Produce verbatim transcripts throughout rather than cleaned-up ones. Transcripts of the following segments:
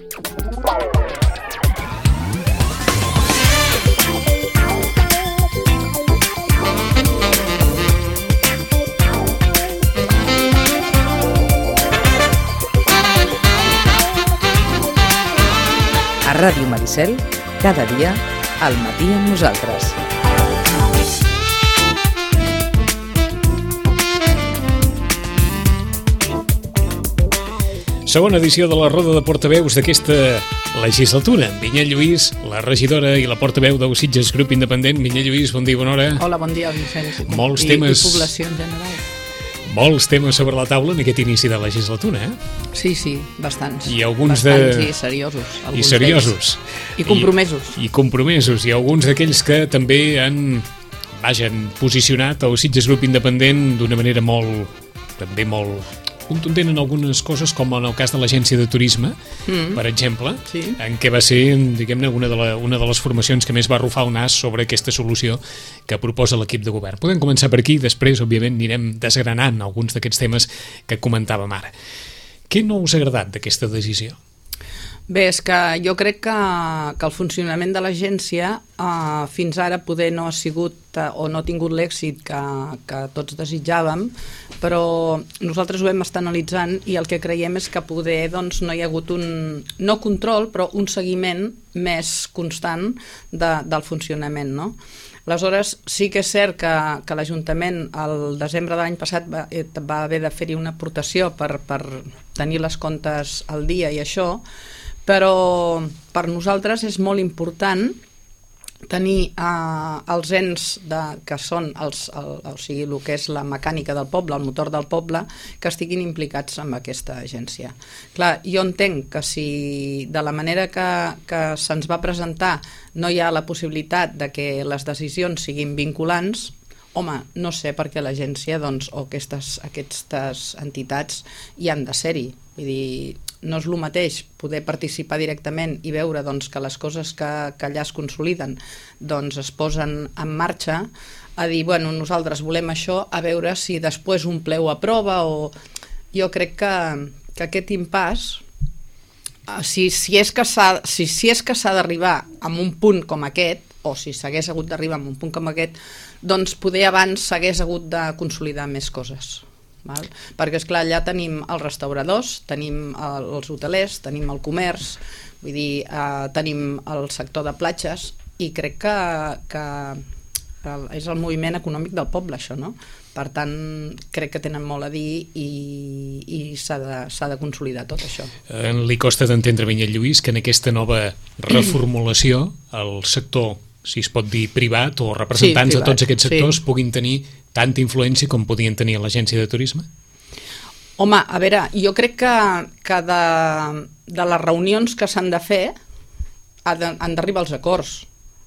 A Ràdio Maricel, cada dia, al matí amb nosaltres. Segona edició de la roda de portaveus d'aquesta legislatura. Vinyet Lluís, la regidora i la portaveu del Sitges Grup Independent. Vinyet Lluís, bon dia, bona hora. Hola, bon dia, Vicenç. Molts I, temes... I població en general. Molts temes sobre la taula en aquest inici de legislatura, eh? Sí, sí, bastants. I alguns bastants de... i seriosos. I seriosos. I compromesos. I, I compromesos. I alguns d'aquells que també han, vaja, han posicionat el Sitges Grup Independent d'una manera molt, també molt contundent en algunes coses, com en el cas de l'Agència de Turisme, mm. per exemple, sí. en què va ser, diguem-ne, una, de la, una de les formacions que més va arrufar el nas sobre aquesta solució que proposa l'equip de govern. Podem començar per aquí, després, òbviament, anirem desgranant alguns d'aquests temes que comentàvem ara. Què no us ha agradat d'aquesta decisió? Bé, és que jo crec que, que el funcionament de l'agència eh, fins ara poder no ha sigut eh, o no ha tingut l'èxit que, que tots desitjàvem, però nosaltres ho hem estat analitzant i el que creiem és que poder doncs, no hi ha hagut un, no control, però un seguiment més constant de, del funcionament, no? Aleshores, sí que és cert que, que l'Ajuntament el desembre de l'any passat va, va haver de fer-hi una aportació per, per tenir les comptes al dia i això, però per nosaltres és molt important tenir eh, els ens de, que són els, el, o sigui, el que és la mecànica del poble, el motor del poble, que estiguin implicats en aquesta agència. Clar, jo entenc que si de la manera que, que se'ns va presentar no hi ha la possibilitat de que les decisions siguin vinculants, home, no sé per què l'agència doncs, o aquestes, aquestes entitats hi han de ser-hi. Vull dir, no és el mateix poder participar directament i veure doncs, que les coses que, que allà es consoliden doncs, es posen en marxa, a dir, bueno, nosaltres volem això, a veure si després un ple ho aprova o... Jo crec que, que aquest impàs, si, si és que s'ha si, si és que s'ha d'arribar a un punt com aquest, o si s'hagués hagut d'arribar a un punt com aquest, doncs poder abans s'hagués hagut de consolidar més coses. Val? Perquè esclar, allà tenim els restauradors, tenim els hotelers, tenim el comerç, vull dir, eh, tenim el sector de platges i crec que, que és el moviment econòmic del poble això, no? Per tant, crec que tenen molt a dir i, i s'ha de, s'ha de consolidar tot això. Eh, li costa d'entendre, Vinyet Lluís, que en aquesta nova reformulació el sector, si es pot dir privat o representants sí, privat, de tots aquests sectors sí. puguin tenir tanta influència com podien tenir a l'Agència de Turisme? Home, a veure, jo crec que, que de, de les reunions que s'han de fer ha de, han d'arribar als acords.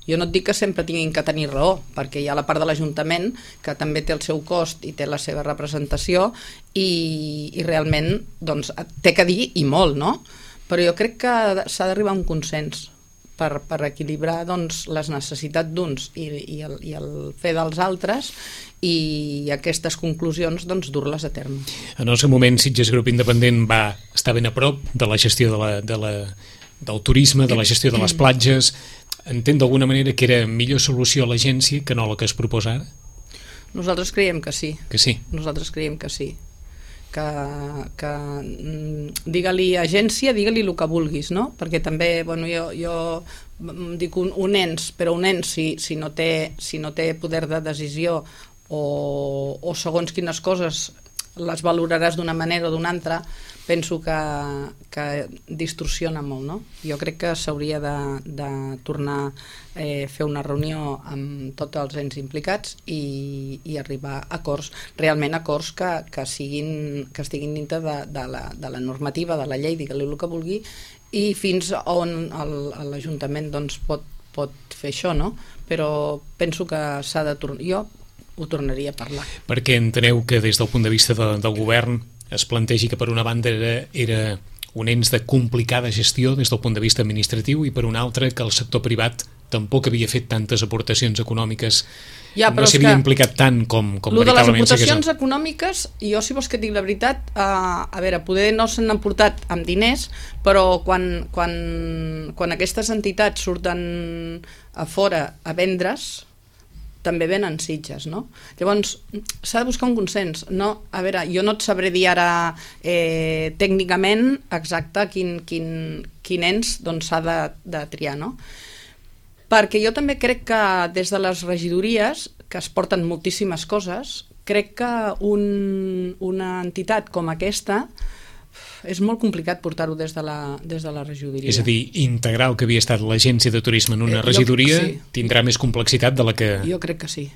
Jo no et dic que sempre tinguin que tenir raó, perquè hi ha la part de l'Ajuntament que també té el seu cost i té la seva representació i, i realment doncs, té que dir i molt, no? Però jo crec que s'ha d'arribar a un consens per, per equilibrar doncs, les necessitats d'uns i, i, el, i el fer dels altres i aquestes conclusions doncs, dur-les a terme. En el seu moment, Sitges Grup Independent va estar ben a prop de la gestió de la, de la, del turisme, de la gestió de les platges. Entén d'alguna manera que era millor solució a l'agència que no la que es proposa ara? Nosaltres creiem que sí. Que sí? Nosaltres creiem que sí. Que, que digue-li agència, digue-li el que vulguis, no? Perquè també, bueno, jo, jo dic un, un ens, però un ens si, si, no té, si no té poder de decisió o, o segons quines coses les valoraràs d'una manera o d'una altra, penso que, que distorsiona molt, no? Jo crec que s'hauria de, de tornar a eh, fer una reunió amb tots els ens implicats i, i arribar a acords, realment acords que, que, siguin, que estiguin dintre de, de, la, de la normativa, de la llei, digue-li el que vulgui, i fins on l'Ajuntament doncs, pot, pot fer això, no? Però penso que s'ha de tornar... Jo ho tornaria a parlar. Perquè enteneu que des del punt de vista de, del govern es plantegi que per una banda era, era un ens de complicada gestió des del punt de vista administratiu i per una altra que el sector privat tampoc havia fet tantes aportacions econòmiques, ja, no s'havia implicat tant com, com veritablement. Lo de les aportacions econòmiques, jo si vols que et digui la veritat, eh, a veure, poder no se n'han portat amb diners, però quan, quan, quan aquestes entitats surten a fora a vendre's, també venen Sitges, no? Llavors, s'ha de buscar un consens, no? A veure, jo no et sabré dir ara eh, tècnicament exacte quin, quin, quin ens doncs, s'ha de, de triar, no? Perquè jo també crec que des de les regidories, que es porten moltíssimes coses, crec que un, una entitat com aquesta és molt complicat portar-ho des de la, des de la regidoria. És a dir, integrar el que havia estat l'agència de turisme en una regidoria eh, sí. tindrà més complexitat de la que... Jo crec que sí.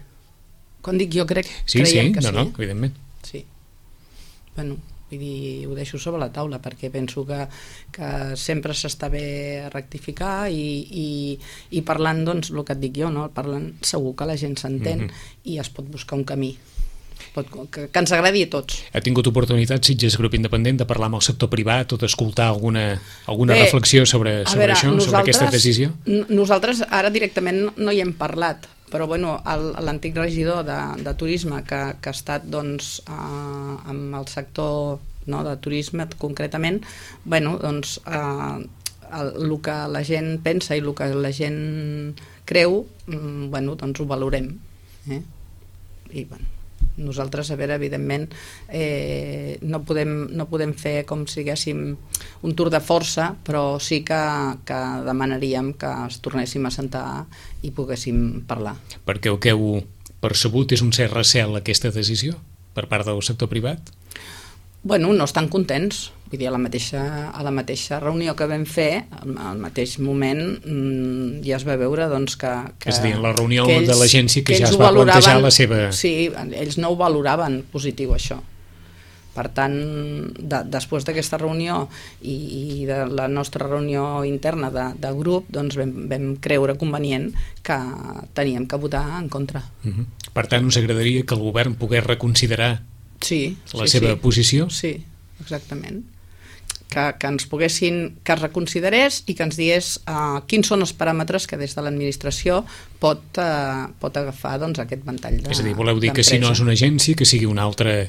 Quan dic jo crec, sí, creiem sí, que no, sí. No, evidentment. Sí. Bueno, vull dir, ho deixo sobre la taula perquè penso que, que sempre s'està bé rectificar i, i, i parlant, doncs, el que et dic jo, no? Parlant segur que la gent s'entén mm-hmm. i es pot buscar un camí. Pot, que, que ens agradi a tots. Ha tingut oportunitat Sitges Grup Independent de parlar amb el sector privat o d'escoltar alguna, alguna Bé, reflexió sobre, sobre veure, això, sobre aquesta decisió? Nosaltres ara directament no hi hem parlat, però bueno, l'antic regidor de, de turisme que, que ha estat doncs, eh, amb el sector no, de turisme concretament, bueno, doncs eh, el, el que la gent pensa i el que la gent creu, bueno, doncs ho valorem. Eh? I bueno, nosaltres, a veure, evidentment eh, no, podem, no podem fer com si diguéssim un tour de força, però sí que, que demanaríem que es tornéssim a sentar i poguéssim parlar. Perquè el que heu percebut és un cert recel aquesta decisió per part del sector privat? Bueno, no estan contents. Vull dir, a la mateixa, a la mateixa reunió que vam fer, al mateix moment mmm, ja es va veure doncs, que, que... És a dir, en la reunió ells, de l'agència que, que ja es va valoraven, plantejar la seva... Sí, ells no ho valoraven positiu, això. Per tant, de, després d'aquesta reunió i, i de la nostra reunió interna de, de grup, doncs vam, vam creure convenient que teníem que votar en contra. Uh-huh. Per tant, us agradaria que el govern pogués reconsiderar sí, la sí, seva sí. posició? Sí, exactament. Que, que ens poguessin, que es reconsiderés i que ens digués uh, quins són els paràmetres que des de l'administració pot, uh, pot agafar doncs, aquest ventall de És a dir, voleu dir que si no és una agència, que sigui una altra...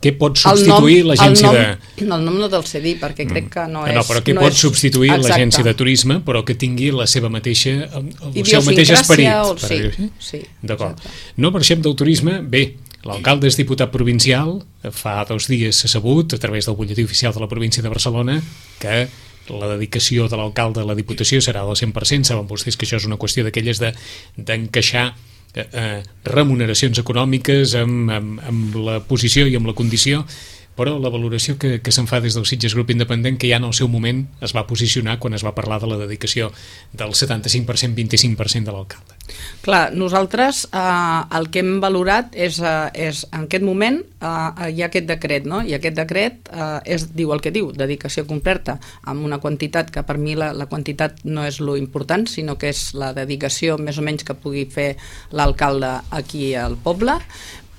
Què pot El substituir nom, l'agència el nom, de... El nom no te'l sé dir, perquè crec que no és... No, però què no pot és... substituir Exacte. l'agència de turisme, però que tingui la seva mateixa... el seu mateix esperit. O... Per Sí, dir-ho, sí. D'acord. No marxem del turisme. Bé, l'alcalde és diputat provincial, fa dos dies s'ha sabut, a través del butlletí oficial de la província de Barcelona, que la dedicació de l'alcalde a la Diputació serà del cent per cent. Saben vostès que això és una qüestió d'aquelles de, d'encaixar eh, eh, remuneracions econòmiques amb, amb, amb la posició i amb la condició, però la valoració que, que se'n fa des del Sitges Grup Independent, que ja en el seu moment es va posicionar quan es va parlar de la dedicació del setanta-cinc per cent, vint-i-cinc per cent de l'alcalde. Clar, nosaltres eh, el que hem valorat és, eh, és en aquest moment eh, hi ha aquest decret, no? I aquest decret eh, és, diu el que diu, dedicació completa, amb una quantitat que per mi la, la quantitat no és lo important, sinó que és la dedicació més o menys que pugui fer l'alcalde aquí al poble,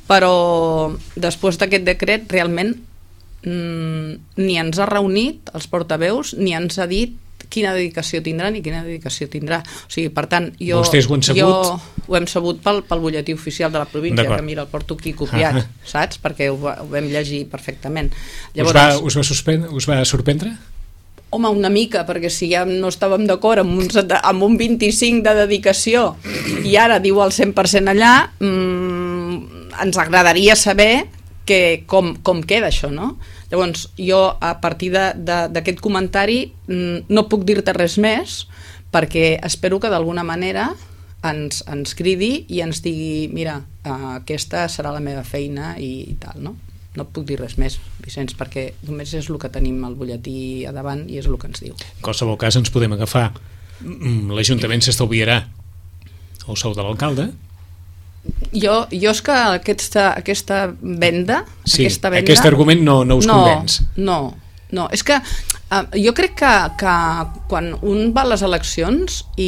però després d'aquest decret realment mmm, ni ens ha reunit els portaveus ni ens ha dit quina dedicació tindrà ni quina dedicació tindrà. O sigui, per tant, jo... Vostès ho han sabut? Jo ho hem sabut pel, pel butlletí oficial de la província, que mira, el porto aquí copiat, ah. saps? Perquè ho, ho vam llegir perfectament. Llavors, us, va, us, va suspendre, us va sorprendre? Home, una mica, perquè si ja no estàvem d'acord amb, un, amb un vint-i-cinc de dedicació i ara diu el cent per cent allà, mmm, ens agradaria saber que, com, com queda això, no? Llavors, jo a partir d'aquest comentari mmm, no puc dir-te res més, perquè espero que d'alguna manera ens, ens cridi i ens digui, mira, uh, aquesta serà la meva feina i, i tal, no? No puc dir res més, Vicenç, perquè només és el que tenim al butlletí a davant i és el que ens diu. En qualsevol cas ens podem agafar. L'Ajuntament s'estalviarà el sou de l'alcalde. Jo, jo és que aquesta, aquesta venda... Sí, aquesta venda, aquest argument no, no us no, convenç. No, no, és que Uh, jo crec que, que quan un va a les eleccions i,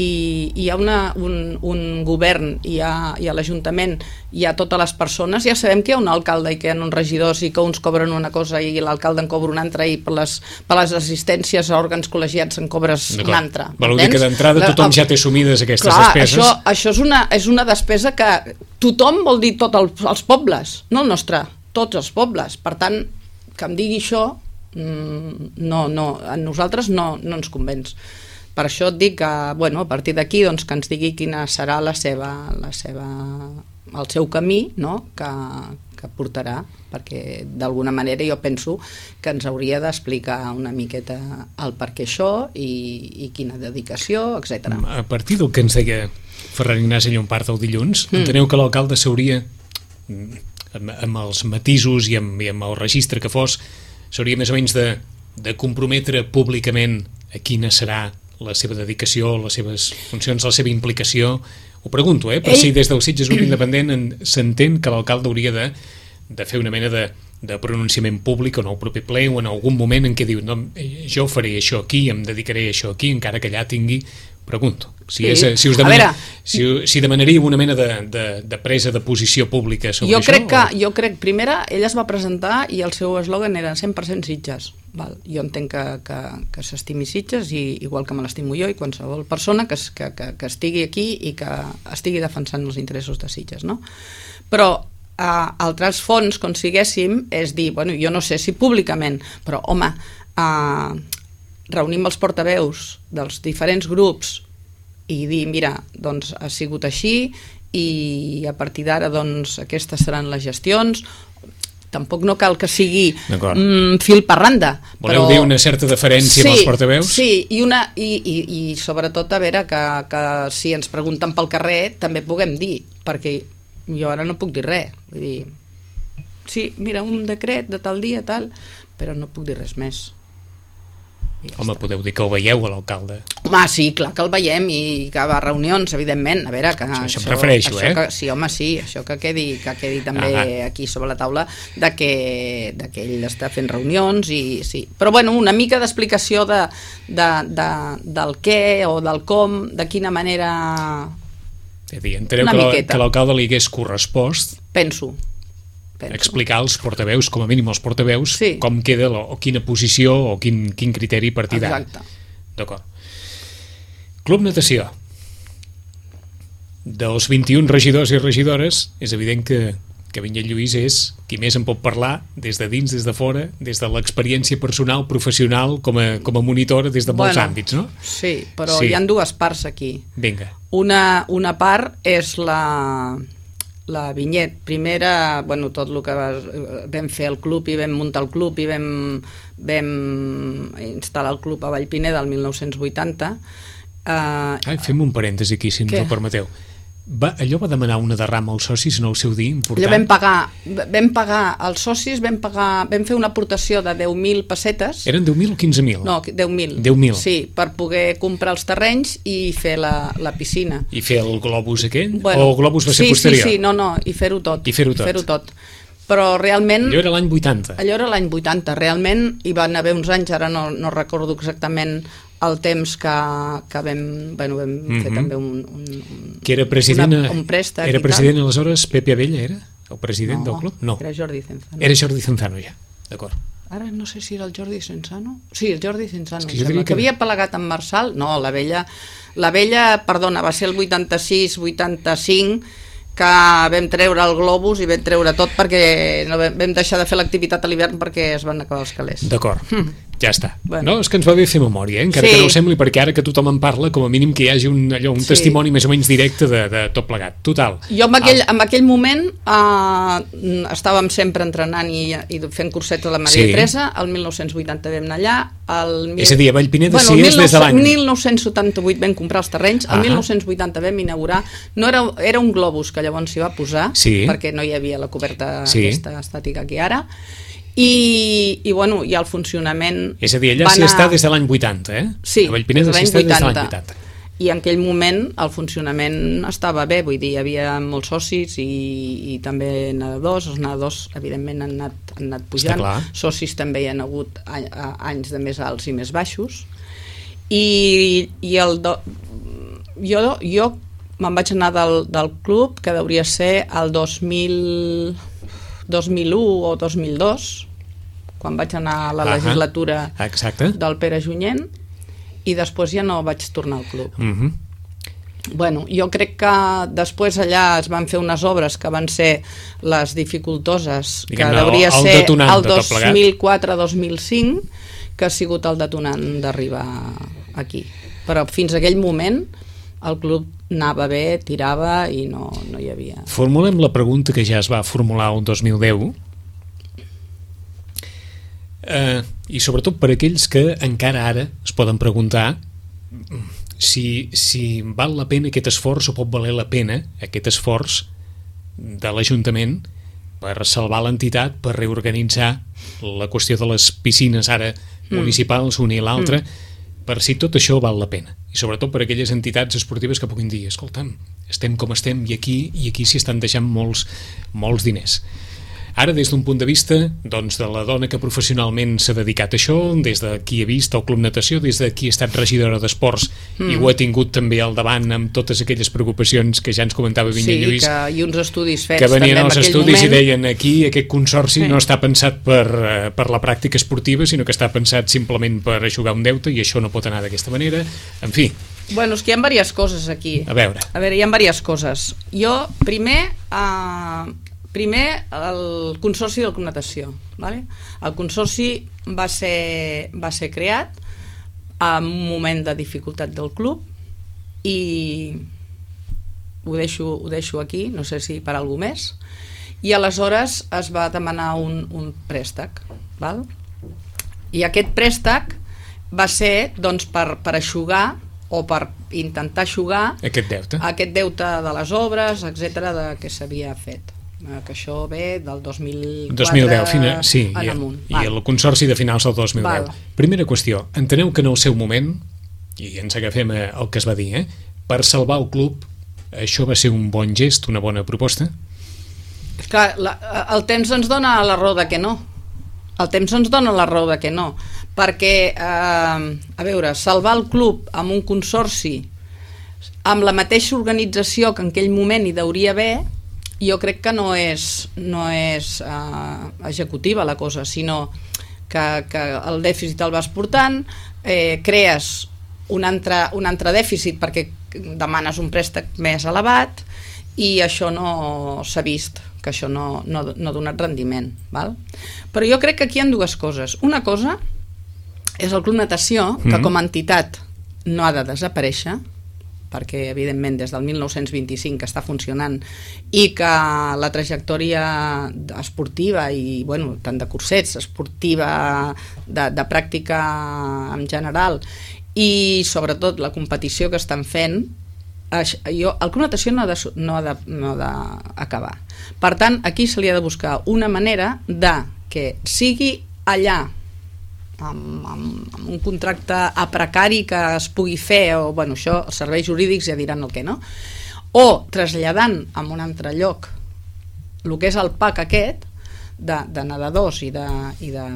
i hi ha una, un, un govern i hi ha, hi ha l'Ajuntament, hi ha totes les persones, ja sabem que hi ha un alcalde i que hi ha uns regidors i que uns cobren una cosa i l'alcalde en cobra una altra i per les, per les assistències a òrgans col·legiats en cobres una altra. Voleu dir que d'entrada tothom ja té assumides aquestes Clar, despeses? Això, això és, una, és una despesa que tothom vol dir tots els, els pobles, no el nostre, tots els pobles. Per tant, que em digui això no, no, a nosaltres no, no ens convenç. Per això et dic que, bueno, a partir d'aquí doncs, que ens digui quina serà la seva, la seva, el seu camí, no? que, que portarà, perquè d'alguna manera jo penso que ens hauria d'explicar una miqueta el per què això i, i quina dedicació, etcètera. A partir del que ens deia Ferran Ignasi Llompart el dilluns, mm. enteneu que l'alcalde s'hauria, amb, amb els matisos i amb, i amb el registre que fos, s'hauria més o menys de, de comprometre públicament a quina serà la seva dedicació, les seves funcions, la seva implicació. Ho pregunto, eh? Per Ell... si des del Sitges Grup Independent s'entén que l'alcalde hauria de, de fer una mena de, de pronunciament públic en el proper ple o en algun moment en què diu no, jo faré això aquí, em dedicaré a això aquí, encara que allà tingui... Pregunto, si, és, si, us demana, veure, si, si demanaríeu una mena de, de, de presa de posició pública sobre jo això? Crec que, o... jo crec, primera, ell es va presentar i el seu eslògan era cent per cent Sitges. Val. Jo entenc que, que, que s'estimi Sitges, i, igual que me l'estimo jo i qualsevol persona que, que, que, que estigui aquí i que estigui defensant els interessos de Sitges, no? Però eh, altres fons, com siguéssim, és dir, bueno, jo no sé si públicament, però home... Eh, reunim els portaveus dels diferents grups i dir, mira, doncs ha sigut així i a partir d'ara doncs aquestes seran les gestions. Tampoc no cal que sigui mm, fil per randa. Voleu però... dir una certa deferència sí, amb els portaveus? Sí, i, una, i, i, i sobretot a veure que, que si ens pregunten pel carrer també puguem dir, perquè jo ara no puc dir res. Vull dir, sí, mira, un decret de tal dia, tal, però no puc dir res més. Ja Home, està. Podeu dir que el veieu a l'alcalde. Home, sí, clar que el veiem i que va a reunions, evidentment. A veure, que... Això, això em refereixo, això eh? Que, sí, home, sí, això que quedi, que quedi també ah, aquí sobre la taula de que, de que ell està fent reunions i sí. Però, bueno, una mica d'explicació de, de, de, del què o del com, de quina manera... És a dir, enteneu que l'alcalde li hagués correspost... Penso. Penso. Explicar als portaveus, com a mínim als portaveus, sí. com queda la, o quina posició o quin, quin criteri a partir d'ara. Exacte. D'acord. Club Natació. Dels vint-i-un regidors i regidores, és evident que, que Vinyet Lluís és qui més en pot parlar des de dins, des de fora, des de l'experiència personal, professional, com a, com a monitora des de molts bueno, àmbits, no? Sí, però sí. Hi ha dues parts aquí. Vinga. Una, una part és la... la Vinyet, primera, bueno, tot el que va, vam fer el club i vam muntar el club i vam, vam instal·lar el club a Vallpineda el mil nou-cents vuitanta. Uh, Ai, fem un parèntesi aquí, si ens ho permeteu. Va, allò va demanar una derrama als socis en el seu dia important? Allò vam pagar, vam pagar als socis, vam, pagar, vam fer una aportació de deu mil pessetes. Eren deu mil o quinze mil? No, deu mil. deu mil. Sí, per poder comprar els terrenys i fer la, la piscina. I fer el globus aquell? Bueno, o el globus va ser sí, posterior? Sí, sí, no, no, i fer-ho tot. I fer-ho tot. Fer-ho tot. Però realment... Allò era l'any vuitanta. Allò era l'any vuitanta, realment hi van haver uns anys, ara no, no recordo exactament el temps que, que vam, bueno, vam mm -hmm. fer també un, un, que era president, una, un préstec. Era president aleshores Pepe Abella, era? El president no, del club? No, era Jordi Cenzano. Era Jordi Cenzano ja, d'acord. Ara no sé si era el Jordi Cenzano. Sí, el Jordi Cenzano. Que, que... que havia plegat amb Marçal. No, la vella, la vella, perdona, va ser el vuitanta-sis vuitanta-cinc que vam treure el globus i vam treure tot perquè no vam, vam deixar de fer l'activitat a l'hivern perquè es van acabar els calés. D'acord. Mm. Ja està. Bueno. No, és que ens va bé fer memòria, eh? Encara sí. que no ho sembli, perquè ara que tothom en parla, com a mínim que hi hagi un, allò, un sí. testimoni més o menys directe de, de tot plegat. Total. Jo en aquell, en aquell moment eh, estàvem sempre entrenant i, i fent cursets a la Maria sí. Teresa, el mil nou-cents vuitanta vam anar allà, el mil... és a dir, a Vallpineda bueno, sí és des de l'any. El mil nou-cents setanta-vuit vam comprar els terrenys, el ah. mil nou-cents vuitanta vam inaugurar, no era, era un globus que llavors s'hi va posar, sí. perquè no hi havia la coberta sí. aquesta estàtica que ara, I, i, bueno, i el funcionament... És a dir, allà s'hi anar... està des de l'any vuitanta, eh? Sí, a Vallpineda s'hi està des de l'any vuitanta. i en aquell moment el funcionament estava bé, vull dir, hi havia molts socis i, i també nedadors, els nedadors evidentment han anat, han anat pujant, socis també hi ha hagut anys de més alts i més baixos, i, i el do... jo, jo me'n vaig anar del, del club, que hauria ser el dos mil, dos mil u o dos mil dos, quan vaig anar a la legislatura Exacte. del Pere Junyent, i després ja no vaig tornar al club. Uh-huh. Bueno, jo crec que després allà es van fer unes obres que van ser les dificultoses, Diguem-ne, que hauria el, el ser detonant el dos mil quatre dos mil cinc, que ha sigut el detonant d'arribar aquí. Però fins a aquell moment el club anava bé, tirava i no, no hi havia... Formulem la pregunta que ja es va formular el dos mil deu, Uh, i sobretot per aquells que encara ara es poden preguntar si, si val la pena aquest esforç o pot valer la pena aquest esforç de l'Ajuntament per salvar l'entitat, per reorganitzar la qüestió de les piscines ara mm. municipals, una i l'altra, mm. per si tot això val la pena, i sobretot per aquelles entitats esportives que puguin dir, escolta'm, estem com estem i aquí i aquí s'hi estan deixant molts, molts diners. Ara, des d'un punt de vista doncs, de la dona que professionalment s'ha dedicat a això, des de qui ha vist el Club Natació, des de qui ha estat regidora d'esports mm. i ho ha tingut també al davant amb totes aquelles preocupacions que ja ens comentava Vinya sí, Lluís, que, i uns estudis fets que venien també als estudis moment. I deien aquí aquest consorci sí. no està pensat per, per la pràctica esportiva, sinó que està pensat simplement per eixugar un deute i això no pot anar d'aquesta manera, en fi. Bueno, és que hi ha diverses coses aquí. A veure. A veure, hi ha diverses coses. Jo, primer... Uh, Primer, el Consorci del Club Natació. Vale? El Consorci va ser, va ser creat en un moment de dificultat del club i ho deixo, ho deixo aquí, no sé si per alguna més, i aleshores es va demanar un, un préstec. Val? I aquest préstec va ser doncs, per, per eixugar o per intentar eixugar aquest deute, aquest deute de les obres, etcètera, de que s'havia fet. Que això ve del dos mil quatre dos mil deu, fina, sí, en i, amunt. I el Consorci de finals del dos mil deu. Val. Primera qüestió, enteneu que en el seu moment, i ens agafem el que es va dir, eh, per salvar el club, això va ser un bon gest, una bona proposta? Clar, la, el temps ens dona la raó de que no. El temps ens dona la raó de que no. Perquè, eh, a veure, salvar el club amb un consorci, amb la mateixa organització que en aquell moment hi hauria haver, jo crec que no és, no és uh, executiva la cosa, sinó que, que el dèficit el vas portant, eh, crees un altre, un altre dèficit perquè demanes un préstec més elevat i això no s'ha vist, que això no, no, no ha donat rendiment. Val? Però jo crec que aquí hi ha dues coses. Una cosa és el Club Natació, que com a entitat no ha de desaparèixer, perquè evidentment des del mil nou-cents vint-i-cinc que està funcionant i que la trajectòria esportiva i bueno, tant de cursets, esportiva, de, de pràctica en general i sobretot la competició que estan fent, jo, el Club Natació no ha de, no ha de, no ha d'acabar. Per tant, aquí se li ha de buscar una manera de que sigui allà Amb, amb, amb un contracte a precari que es pugui fer, o bueno, això els serveis jurídics ja diran el que no, o traslladant a un altre lloc el que és el P A C aquest de, de nedadors i de, i de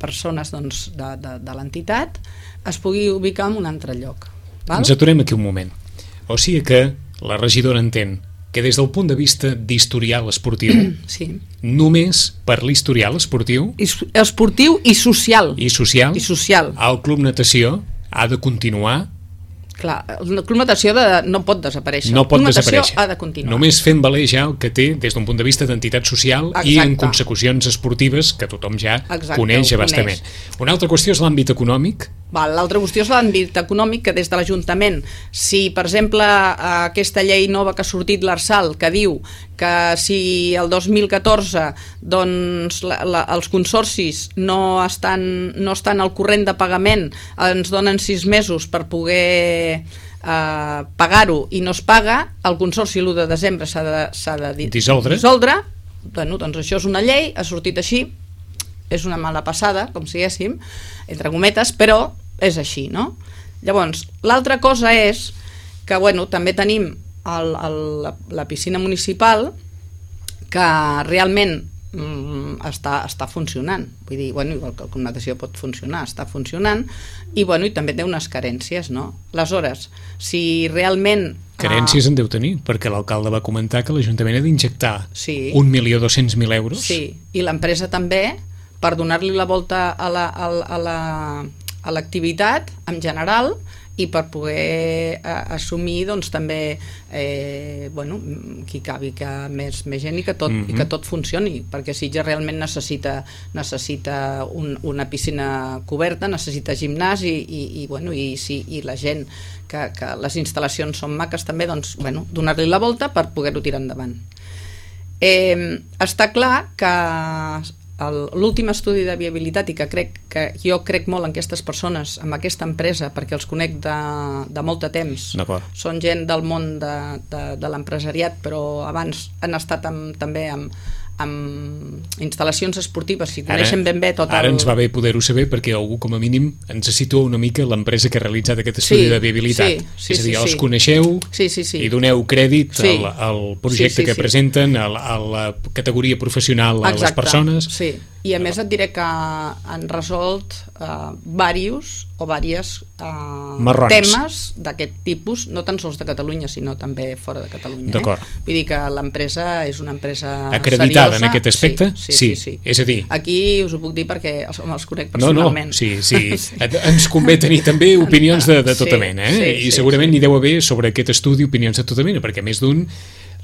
persones doncs, de, de, de l'entitat es pugui ubicar en un altre lloc. Val? Ens aturem aquí un moment. O sigui que la regidora entén que des del punt de vista d'historial esportiu, sí. només per l'historial esportiu, esportiu i social, i social, i social, el Club Natació ha de continuar. Clar, el Club Natació de, no pot desaparèixer. No pot el Club desaparèixer. Ha de continuar. Només fent valer ja el que té des d'un punt de vista d'entitat social. Exacte. I en consecucions esportives que tothom ja Exacte, coneix abastament. Una altra qüestió és l'àmbit econòmic. L'altra qüestió és l'àmbit econòmic, que des de l'Ajuntament, si per exemple aquesta llei nova que ha sortit l'Arsal, que diu que si el dos mil catorze doncs, la, la, els consorcis no estan, no estan al corrent de pagament, ens donen sis mesos per poder eh, pagar-ho i no es paga, el consorci l'u de desembre s'ha de, s'ha de dissoldre. dissoldre. Bueno, doncs això és una llei, ha sortit així, és una mala passada, com si diguéssim, entre cometes, però és així, no? Llavors, l'altra cosa és que, bueno, també tenim el, el, la, la piscina municipal que realment mm, està, està funcionant. Vull dir, bueno, igual que el Club Natació pot funcionar, està funcionant, i, bueno, i també té unes carències, no? Aleshores, si realment... Carències en deu tenir, perquè l'alcalde va comentar que l'Ajuntament ha d'injectar sí, un milió dos-cents mil euros. Sí, i l'empresa també, per donar-li la volta a la, a, a la, a l'activitat en general, i per poder eh, assumir doncs també eh, bueno, que hi cabi que més, més gent i que, tot, mm-hmm. i que tot funcioni, perquè Sitges realment necessita, necessita un, una piscina coberta, necessita gimnàs i, i, i, bueno, i, si, i la gent que, que les instal·lacions són maques també, doncs, bueno, donar-li la volta per poder-ho tirar endavant. Eh, està clar que l'últim estudi de viabilitat, i que crec que jo crec molt en aquestes persones, en aquesta empresa, perquè els conec de, de molt de temps, són gent del món de, de, de l'empresariat, però abans han estat amb, també amb, amb instal·lacions esportives i coneixen ara, ben bé tot el... Ara ens va bé poder-ho saber perquè algú com a mínim ens situa una mica l'empresa que ha realitzat aquest estudi sí, de viabilitat. Sí, sí, és a dir, sí, els sí. coneixeu sí, sí, sí. i doneu crèdit sí. al, al projecte sí, sí, que sí. presenten, a la, a la categoria professional a Exacte, les persones. Sí, i a més et diré que han resolt uh, varios o vàries uh, temes d'aquest tipus, no tan sols de Catalunya, sinó també fora de Catalunya. D'acord. Eh? Vull dir que l'empresa és una empresa acreditada seriosa. En aquest aspecte? Sí, sí, sí, sí. És a dir... Aquí us ho puc dir perquè els, els conec personalment. No, no, sí, sí. Ens convé tenir també opinions de, de tota sí, mena, eh? Sí, I segurament sí, sí. n'hi deu haver sobre aquest estudi opinions de tota mena, perquè més d'un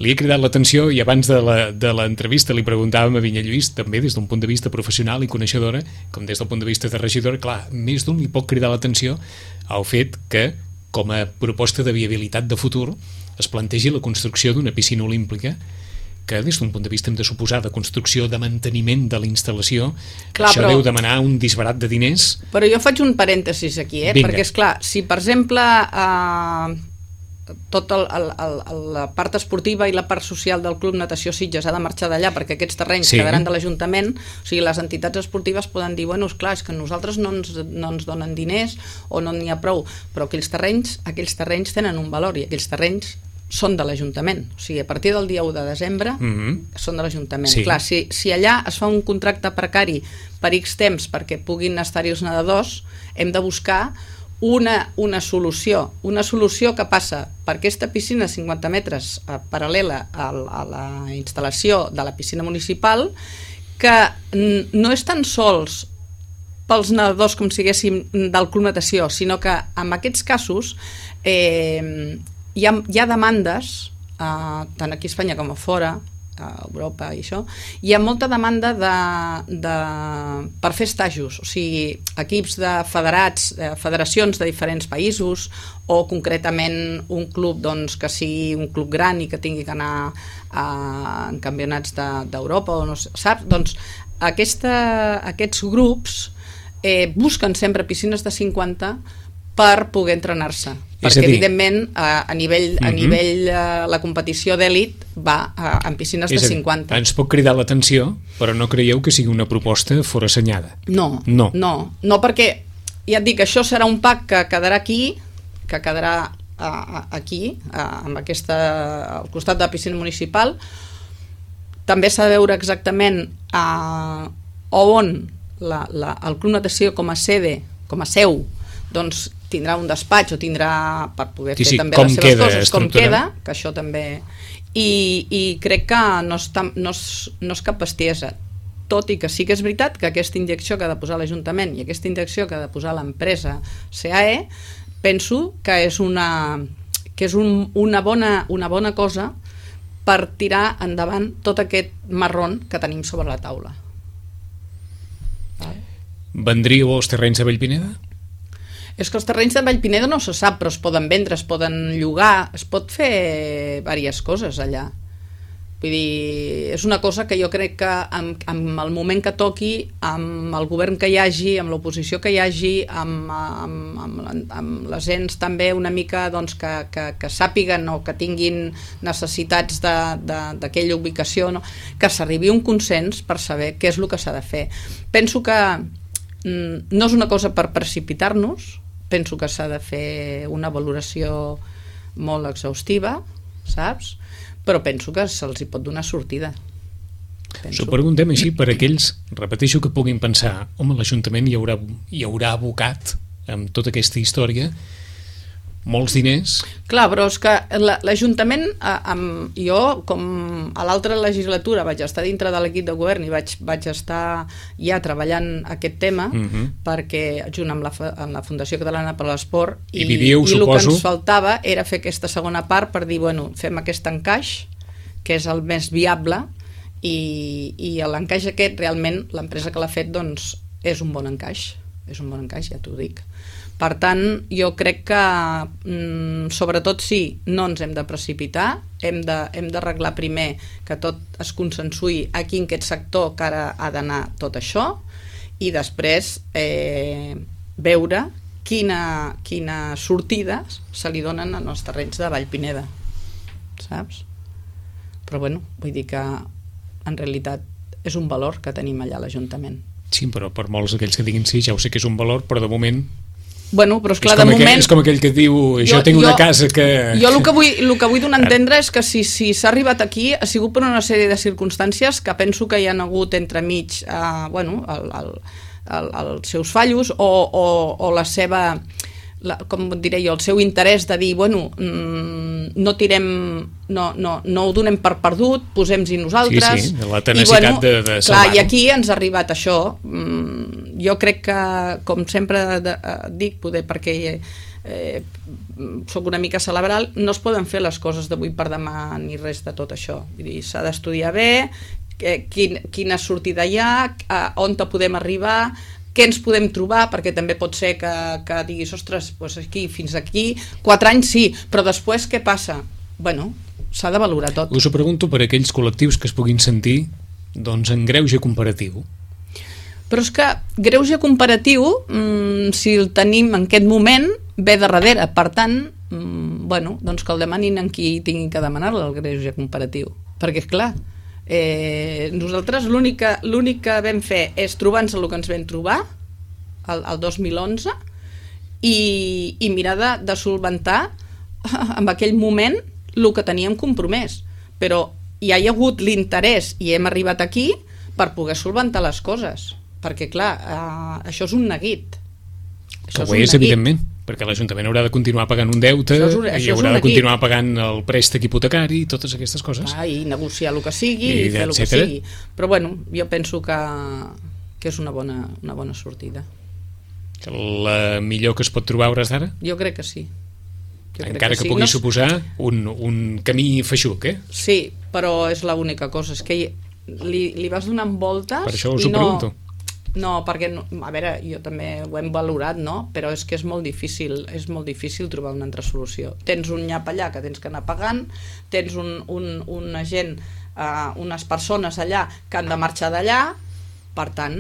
li he cridat l'atenció i abans de l'entrevista li preguntàvem a Vinya Lluís, també des d'un punt de vista professional i coneixedora, com des del punt de vista de regidora, clar, més d'un li pot cridar l'atenció al fet que, com a proposta de viabilitat de futur, es plantegi la construcció d'una piscina olímpica que des d'un punt de vista hem de suposar de construcció, de manteniment de la instal·lació, clar, això però, deu demanar un disbarat de diners. Però jo faig un parèntesis aquí, eh? Perquè és clar, si per exemple eh, tota la part esportiva i la part social del Club Natació Sitges ha de marxar d'allà perquè aquests terrenys sí. quedaran de l'Ajuntament, o sigui, les entitats esportives poden dir, bueno, esclar, és que nosaltres no ens, no ens donen diners o no n'hi ha prou, però aquells terrenys, aquells terrenys tenen un valor i aquells terrenys són de l'Ajuntament, o sigui, a partir del dia u de desembre mm-hmm. són de l'Ajuntament. Sí. Clar, si, si allà es fa un contracte precari per X temps perquè puguin estar-hi els nedadors, hem de buscar una, una solució, una solució que passa per aquesta piscina de cinquanta metres eh, paral·lela a, a la instal·lació de la piscina municipal, que no és tan sols pels nedadors com siguéssim del Club Natació, sinó que en aquests casos eh, hi ha, hi ha demandes, eh, tant aquí a Espanya com a fora, a Europa i això, hi ha molta demanda de, de, per fer estajos, o sigui, equips de federats, de federacions de diferents països, o concretament un club doncs, que sigui un club gran i que tingui que anar a, en campionats d'Europa, de, o no sé, saps? Doncs aquesta, aquests grups eh, busquen sempre piscines de cinquanta per poder entrenar-se, perquè dir, evidentment a, a nivell, a uh-huh. nivell uh, la competició d'èlit va uh, en piscines és de cinquanta. Dir, ens pot cridar l'atenció, però no creieu que sigui una proposta forassenyada? No, no, no, no, perquè ja et dic, això serà un pack que quedarà aquí, que quedarà uh, aquí, uh, amb aquesta, al costat de la piscina municipal. També s'ha de veure exactament uh, on la, la, el Club Natació com a sede, com a seu, doncs tindrà un despatx o tindrà per poder sí, fer sí, també les seves coses, com queda, que això també... I, i crec que no és, no, és, no és cap bestiesa, tot i que sí que és veritat que aquesta injecció que ha de posar l'Ajuntament i aquesta injecció que ha de posar l'empresa C A E, penso que és una, que és un, una, bona, una bona cosa per tirar endavant tot aquest marrón que tenim sobre la taula. Vendríeu als terrenys de Vallpineda? És que els terrenys de Vallpineda no se sap, però es poden vendre, es poden llogar, es pot fer diverses coses allà. Vull dir, és una cosa que jo crec que amb, amb el moment que toqui, amb el govern que hi hagi, amb l'oposició que hi hagi, amb, amb, amb, amb les ens també una mica doncs, que, que, que sàpiguen o que tinguin necessitats d'aquella ubicació, no? Que s'arribi a un consens per saber què és el que s'ha de fer. Penso que mm, no és una cosa per precipitar-nos, penso que s'ha de fer una valoració molt exhaustiva, saps? Però penso que se'ls hi pot donar sortida. S'ho preguntem així per aquells, repeteixo, que puguin pensar, home, l'Ajuntament hi haurà, hi haurà abocat amb tota aquesta història molts diners. Clar, però és que l'Ajuntament, jo, com a l'altra legislatura vaig estar dintre de l'equip de govern i vaig, vaig estar ja treballant aquest tema, uh-huh. perquè junt amb la, amb la Fundació Catalana per l'Esport, i, i, vivíeu, i el que ens suposo... faltava era fer aquesta segona part per dir, bueno, fem aquest encaix, que és el més viable, i, i l'encaix aquest, realment, l'empresa que l'ha fet, doncs, és un bon encaix, és un bon encaix, ja t'ho dic. Per tant, jo crec que, mm, sobretot sí, no ens hem de precipitar, hem de, hem d'arreglar primer que tot es consensuï aquí en aquest sector que ara ha d'anar tot això, i després eh, veure quina, quina sortida se li donen en els terrenys de Vallpineda, saps? Però bueno, vull dir que en realitat és un valor que tenim allà a l'Ajuntament. Sí, però per molts d'aquells que diguin sí, ja ho sé que és un valor, però de moment... Bueno, però esclar, és, de moment... moment... és com aquell que diu, jo, jo tinc una jo, casa que... Jo el que vull, el que vull donar a entendre és que si si s'ha arribat aquí ha sigut per una sèrie de circumstàncies que penso que hi ha hagut entremig, eh, bueno, el, el, el, els seus fallos o, o, o la seva... La, com diré jo, el seu interès de dir, bueno, mmm, no tirem, no, no, no ho donem per perdut, posem-hi nosaltres. Sí, sí, la tenacitat I, bueno, de, de salvar-ho. I aquí ens ha arribat això. Mm, jo crec que, com sempre de, dic, poder perquè eh, soc una mica cerebral, no es poden fer les coses d'avui per demà ni res de tot això. Vull dir, s'ha d'estudiar bé, eh, quin, quina sortida hi ha, eh, on te podem arribar, què ens podem trobar, perquè també pot ser que, que diguis, ostres, doncs aquí, fins aquí, quatre anys sí, però després què passa? Bueno, s'ha de valorar tot. Us ho pregunto per aquells col·lectius que es puguin sentir doncs, en greuge comparatiu. Però és que greuge comparatiu, mmm, si el tenim en aquest moment, ve de darrere. Per tant, mmm, bueno, doncs que el demanin en qui tinguin que demanar-lo, el greuge comparatiu. Perquè, és clar, Eh, nosaltres l'únic que, l'únic que vam fer és trobar-nos el que ens vam trobar el, el dos mil onze i, i mirar de, de solventar en aquell moment el que teníem compromès, però hi ha hagut l'interès i hem arribat aquí per poder solventar les coses, perquè clar, eh, això és un neguit, això que ho és, és evidentment, perquè l'Ajuntament haurà de continuar pagant un deute això és un, això i haurà de continuar pagant el préstec hipotecari i totes aquestes coses. Ah, i negociar el que sigui i, i fer el que sigui. Però bueno, jo penso que, que és una bona, una bona sortida. Que la millor que es pot trobar a hores d'ara? Jo crec que sí. Jo Encara que, que sí. pugui no... suposar un, un camí feixuc, eh? Sí, però és l'única cosa, és que li, li vas donant voltes per això us i ho pregunto. No... No, perquè, a veure, jo també ho hem valorat, no? Però és que és molt difícil, és molt difícil trobar una altra solució. Tens un nyap allà que tens que anar pagant, tens un, un, una gent, uh, unes persones allà que han de marxar d'allà, per tant,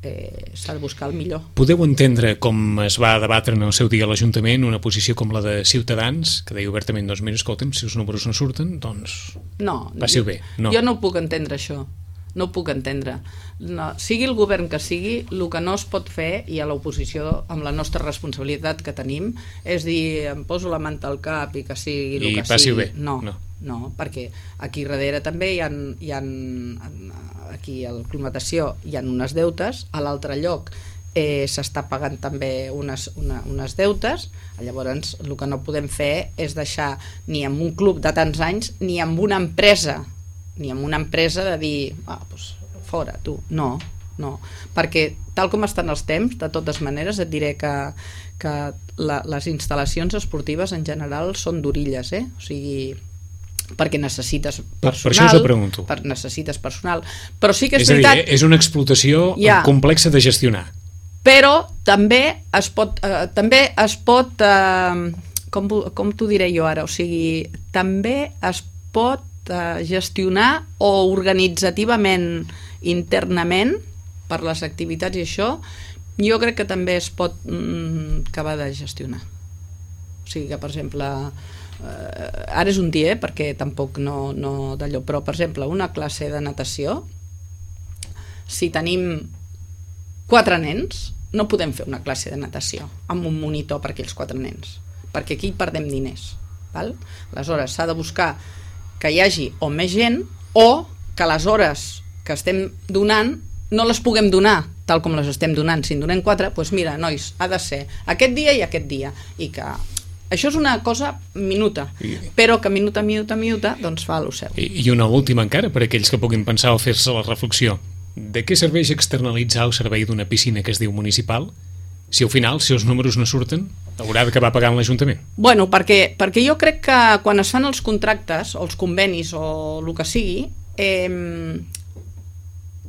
eh, s'ha de buscar el millor. Podeu entendre com es va debatre en el seu dia a l'Ajuntament una posició com la de Ciutadans, que deia obertament, doncs mira, escolta'm, si els números no surten, doncs no, passi-ho bé. No. Jo no ho puc entendre, això. No ho puc entendre. No, sigui el govern que sigui, el que no es pot fer, i a l'oposició, amb la nostra responsabilitat que tenim, és dir, em poso la manta al cap i que sigui el I que passi-ho sigui. bé. No, no, no, perquè aquí darrere també hi ha, hi ha aquí a la climatació hi ha unes deutes, a l'altre lloc eh, s'està pagant també unes, una, unes deutes, llavors el que no podem fer és deixar ni amb un club de tants anys ni amb una empresa ni amb una empresa de dir, ah, doncs fora, tu. No, no. Perquè tal com estan els temps, de totes maneres, et diré que, que la, les instal·lacions esportives en general són d'orilles, eh? O sigui, perquè necessites personal. Per, per això us ho pregunto. Per, necessites personal. Però sí que és, és veritat... És a dir, és una explotació ja, complexa de gestionar. Però també es pot... Eh, també es pot eh, com, com t'ho diré jo ara? O sigui, també es pot gestionar o organitzativament internament per les activitats i això, jo crec que també es pot mm, acabar de gestionar. O sigui que, per exemple, eh, ara és un dia, eh, perquè tampoc no, no d'allò, però, per exemple, una classe de natació, si tenim quatre nens, no podem fer una classe de natació amb un monitor per aquells quatre nens, perquè aquí perdem diners, val? Aleshores s'ha de buscar que hi hagi o més gent o que les hores que estem donant no les puguem donar tal com les estem donant. Si en donem quatre, doncs mira, nois, ha de ser aquest dia i aquest dia, i que això és una cosa minuta, I... però que minuta, minuta, minuta, doncs fa el seu. I, I una última encara, per aquells que puguin pensar o fer-se la reflexió. De què serveix externalitzar el servei d'una piscina que es diu municipal si al final, si els números no surten, haurà d'acabar pagant l'Ajuntament? Bueno, perquè, perquè jo crec que quan es fan els contractes o els convenis o el que sigui, eh,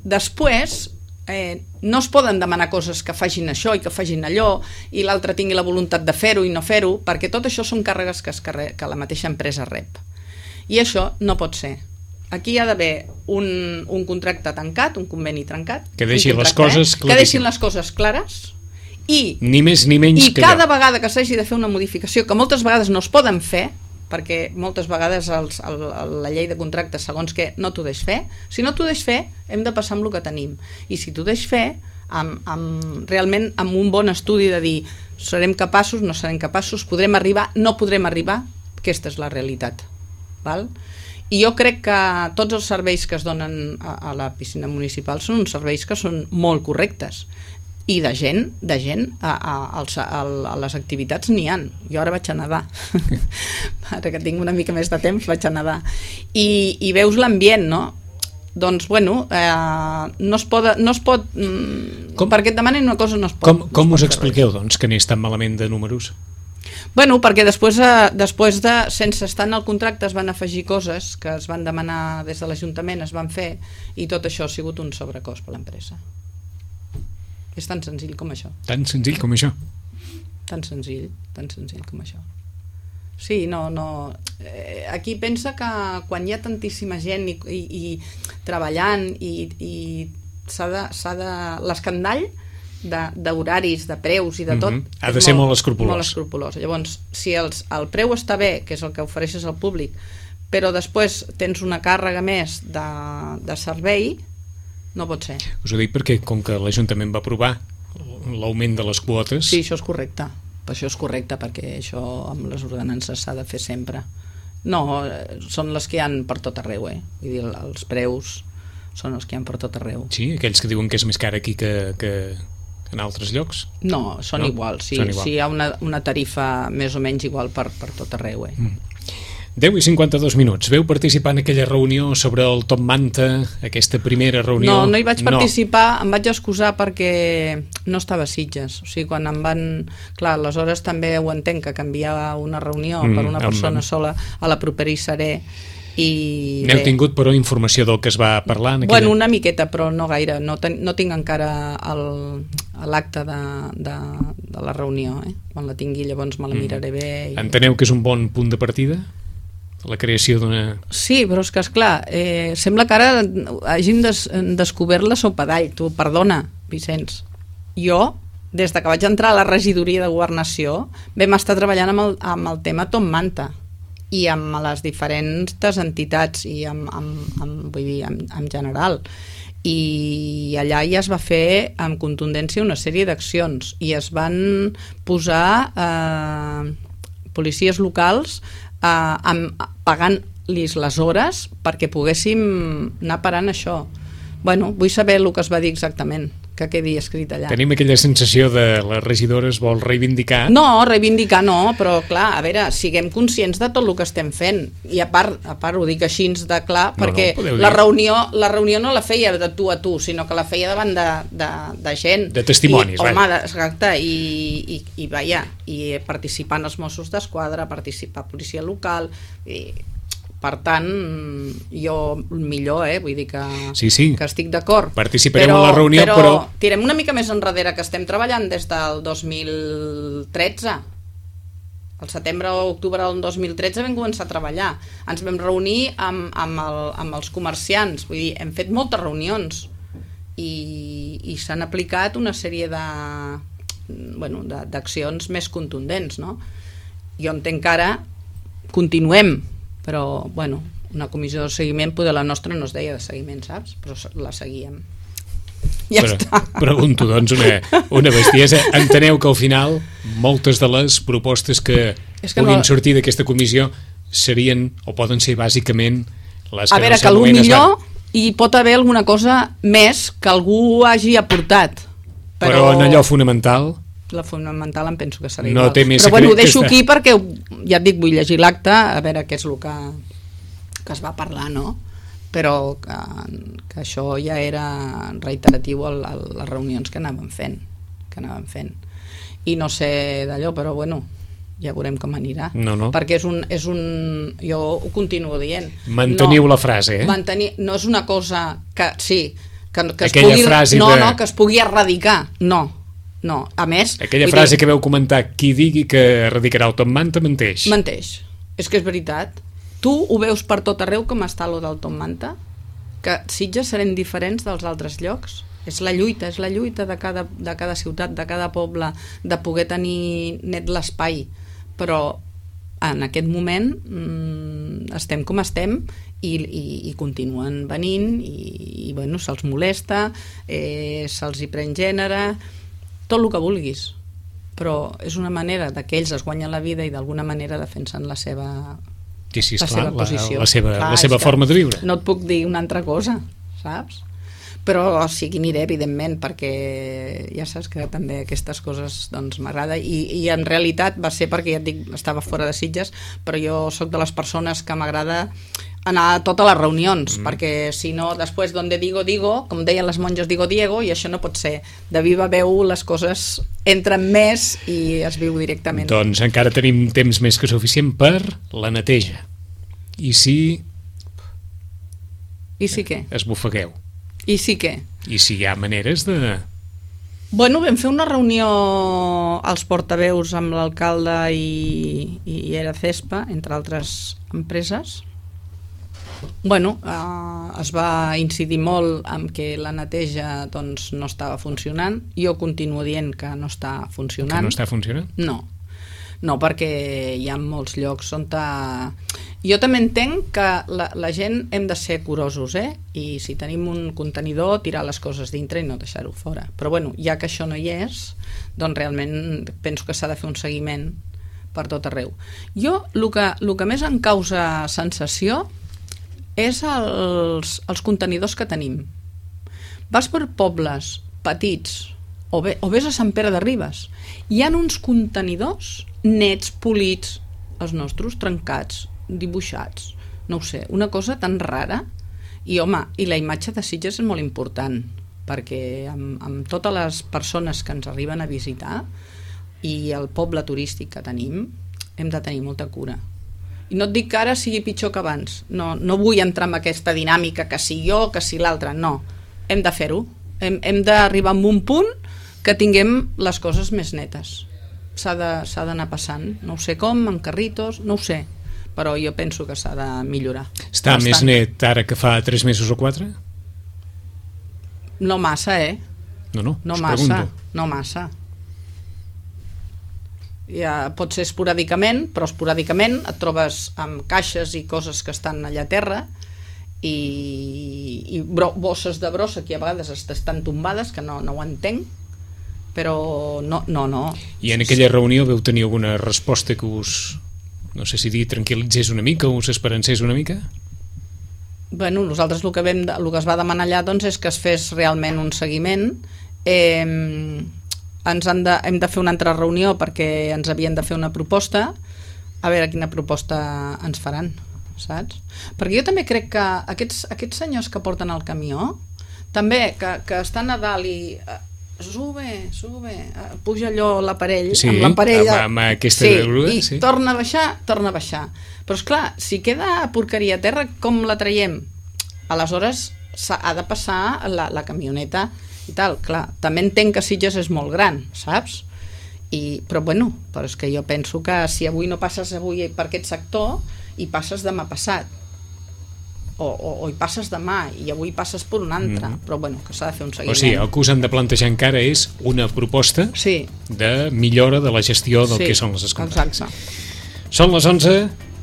després eh, no es poden demanar coses que facin això i que facin allò i l'altre tingui la voluntat de fer-ho i no fer-ho, perquè tot això són càrregues que, es carre... que la mateixa empresa rep. I això no pot ser. Aquí hi ha d'haver un, un contracte tancat, un conveni trencat, que deixin les coses eh? que deixin les coses clares i, ni més ni menys i que cada allò. vegada que s'hagi de fer una modificació, que moltes vegades no es poden fer, perquè moltes vegades els, el, la llei de contractes, segons que no t'ho deix fer, si no t'ho deix fer, hem de passar amb el que tenim. I si t'ho deix fer, amb, amb, realment amb un bon estudi de dir serem capaços, no serem capaços, podrem arribar, no podrem arribar, aquesta és la realitat. Val? I jo crec que tots els serveis que es donen a, a la piscina municipal són uns serveis que són molt correctes. I de gent, de gent a, a, a, a les activitats n'hi ha. Jo ara vaig a nedar. Ara que tinc una mica més de temps vaig a nedar. I, i veus l'ambient, no? Doncs, bueno, eh, no es pot... No es pot com, perquè et demanen una cosa no es pot. Com, com no us expliqueu, doncs, que anés tan malament de números? Bueno, perquè després, eh, després de, sense estar en el contracte, es van afegir coses que es van demanar des de l'Ajuntament, es van fer, i tot això ha sigut un sobrecost per l'empresa. És tan senzill com això. Tan senzill com això? Tan senzill, tan senzill com això. Sí, no, no... Eh, aquí pensa que quan hi ha tantíssima gent i, i, i treballant i, i s'ha de, s'ha de... l'escandall d'horaris, de, de preus i de tot, mm-hmm. ha de ser molt, molt escrupolós. Molt escrupolós. Llavors, si els, el preu està bé, que és el que ofereixes al públic, però després tens una càrrega més de, de servei, no pot ser. Us ho dic perquè, com que l'Ajuntament va aprovar l'augment de les quotes... Sí, això és correcte. Per això és correcte, perquè això amb les ordenances s'ha de fer sempre. No, són les que hi ha per tot arreu, eh? Vull dir, els preus són els que hi ha per tot arreu. Sí, aquells que diuen que és més car aquí que... que... en altres llocs? No, són no? iguals, sí, són igual. Sí, hi ha una, una tarifa més o menys igual per, per tot arreu. Eh? Mm. deu i cinquanta-dos minuts. Veu participar en aquella reunió sobre el Top Manta, aquesta primera reunió? No, no hi vaig participar, no. Em vaig excusar perquè no estava a Sitges. O sigui, quan em van... Clar, aleshores també ho entenc, que canviar una reunió mm, per una persona amb... sola a la propera hi seré. I n'heu tingut però informació del que es va parlar en aquella... Bueno, una miqueta, però no gaire no, ten, no tinc encara l'acte de, de, de la reunió, eh? Quan la tingui llavors me la miraré bé i... Enteneu que és un bon punt de partida? La creació d'una... Sí, però és que esclar, eh, sembla que ara hàgim des, descobert la sopa d'all. Tu, perdona, Vicenç, jo des de que vaig entrar a la regidoria de Governació vam estar treballant amb el, amb el tema Top Manta i amb les diferents entitats i amb, amb, amb, vull dir, amb, en general, i allà ja es va fer amb contundència una sèrie d'accions i es van posar eh, policies locals eh, amb, pagant-los les hores perquè poguéssim anar parant això. Bueno, vull saber el que es va dir exactament, que quedi escrit allà. Tenim aquella sensació de la regidora es vol reivindicar. No, reivindicar no, però clar, a veure, siguem conscients de tot el que estem fent. I a part, a part ho dic així de clar, no, perquè no, la, reunió, la reunió no la feia de tu a tu, sinó que la feia davant de, de, de gent. De testimonis, I, home, exacte, i, i, i vaja, i participant els Mossos d'Esquadra, participar policia local, i... Per tant, jo millor, eh? Vull dir que, sí, sí. que estic d'acord. Participarem a la reunió, però, però... tirem una mica més enrere, que estem treballant des del dos mil tretze. Al setembre o octubre del dos mil tretze vam començar a treballar. Ens vam reunir amb, amb, el, amb els comerciants. Vull dir, hem fet moltes reunions i, i s'han aplicat una sèrie de, bueno, de, d'accions més contundents, no? Jo entenc que ara continuem, però, bueno, una comissió de seguiment, poder la nostra no es deia de seguiment, saps? Però la seguíem. ja Però, està. Pregunto, doncs, una, una bestiesa. Enteneu que al final moltes de les propostes que, És que puguin no... sortir d'aquesta comissió serien, o poden ser bàsicament, les A que veure, no que potser s'anomenen... hi pot haver alguna cosa més que algú hagi aportat. Però, però en allò fonamental... La fonamental em penso que serà no igual. té més però bueno, ho secret deixo que aquí perquè, ja et dic, vull llegir l'acte, a veure què és el que, que es va parlar, no? Però que, que això ja era reiteratiu a, a les reunions que anàvem fent, que anàvem fent. I no sé d'allò, però bueno, ja veurem com anirà. No, no. Perquè és un, és un... Jo ho continuo dient. Manteniu no, la frase, eh? Mantenir, no és una cosa que, sí, que, que es Aquella pugui... frase No, de... no, que es pugui erradicar, no. No, a més... Aquella vull frase dir, que veu comentar, qui digui que erradicarà el Tom Manta, menteix. Menteix. És que és veritat. Tu ho veus per tot arreu com està lo del Tom Manta? Que Sitges serem diferents dels altres llocs? És la lluita, és la lluita de cada, de cada ciutat, de cada poble, de poder tenir net l'espai. Però en aquest moment mmm, estem com estem i, i, i continuen venint i, i bueno, se'ls molesta, eh, se'ls hi pren gènere, tot el que vulguis, però és una manera de que ells es guanyen la vida i d'alguna manera defensen la seva, sí, sí, la esclar, seva posició. La, la seva, clar, la seva forma de viure. No et puc dir una altra cosa, saps? Però sí que aniré, evidentment, perquè ja saps que també aquestes coses doncs m'agrada i, i en realitat va ser perquè ja et dic, estava fora de Sitges, però jo sóc de les persones que m'agrada anar a totes les reunions, mm. perquè si no després donde digo, digo, com deien les monges, digo Diego, i això no pot ser. De viva veu les coses entren més i es viu directament. Doncs encara tenim temps més que suficient per la neteja. I si... I si què? Esbufegueu. I sí que? I si hi ha maneres de... Bueno, vam fer una reunió als portaveus amb l'alcalde i, i era Cespa, entre altres empreses. Bueno, eh, es va incidir molt en que la neteja doncs, no estava funcionant. Jo continuo dient que no està funcionant. Que no està funcionant? No. No, perquè hi ha molts llocs on... Ta... Jo també entenc que la, la gent hem de ser curosos, eh? I si tenim un contenidor, tirar les coses dintre i no deixar-ho fora. Però bueno, ja que això no hi és, doncs realment penso que s'ha de fer un seguiment per tot arreu. Jo, el que, el que més em causa sensació és els, els contenidors que tenim. Vas per pobles petits, o, bé, o vés a Sant Pere de Ribes, hi ha uns contenidors nets, polits, els nostres trencats, dibuixats, no ho sé, una cosa tan rara. I home, i la imatge de Sitges és molt important, perquè amb, amb totes les persones que ens arriben a visitar i el poble turístic que tenim, hem de tenir molta cura. I no et dic que ara sigui pitjor que abans, no, no vull entrar en aquesta dinàmica que si jo, que si l'altre, no, hem de fer-ho, hem, hem d'arribar a un punt que tinguem les coses més netes. S'ha de, s'ha d'anar passant, no ho sé com, amb carritos, no ho sé, però jo penso que s'ha de millorar. Està bastant. Més net ara que fa tres mesos o quatre? No massa, eh? No, no, No us massa, pregunto. no massa. Ja pot ser esporàdicament, però esporàdicament et trobes amb caixes i coses que estan allà a terra i, i bro, bosses de brossa que a vegades estan tombades, que no, no ho entenc, però no, no, no. I en aquella reunió veu tenir alguna resposta que us, no sé si dir, tranquil·litzés una mica o us esperancés una mica? Bueno, nosaltres el que, vam, el que es va demanar allà doncs, és que es fes realment un seguiment. Eh, ens han de, hem de fer una altra reunió perquè ens havien de fer una proposta, a veure quina proposta ens faran, saps? Perquè jo també crec que aquests, aquests senyors que porten el camió, també, que, que estan a dalt i... sube, sube, puja allò l'aparell, sí, amb l'aparell amb, amb aquesta sí, grua, i sí. torna a baixar, torna a baixar. Però esclar, si queda porqueria a terra, com la traiem? Aleshores ha de passar la, la camioneta i tal, clar. També entenc que Sitges és molt gran, saps? I, però bueno, però és que jo penso que si avui no passes avui per aquest sector, hi passes demà passat. O, o, o hi passes demà i avui passes per un altre, mm. però bueno, que s'ha de fer un seguiment. O sigui, el que us han de plantejar encara és una proposta sí. de millora de la gestió del sí, que són les escombres. Exacte. Són les onze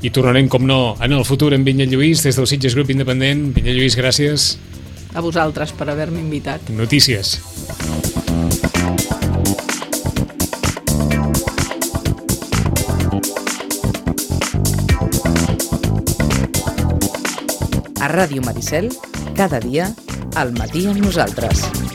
i tornarem, com no, en el futur amb Vinyet Lluís des del Sitges Grup Independent. Vinyet Lluís, gràcies. a vosaltres per haver-me invitat. Notícies. A Ràdio Maricel, cada dia, al matí amb nosaltres.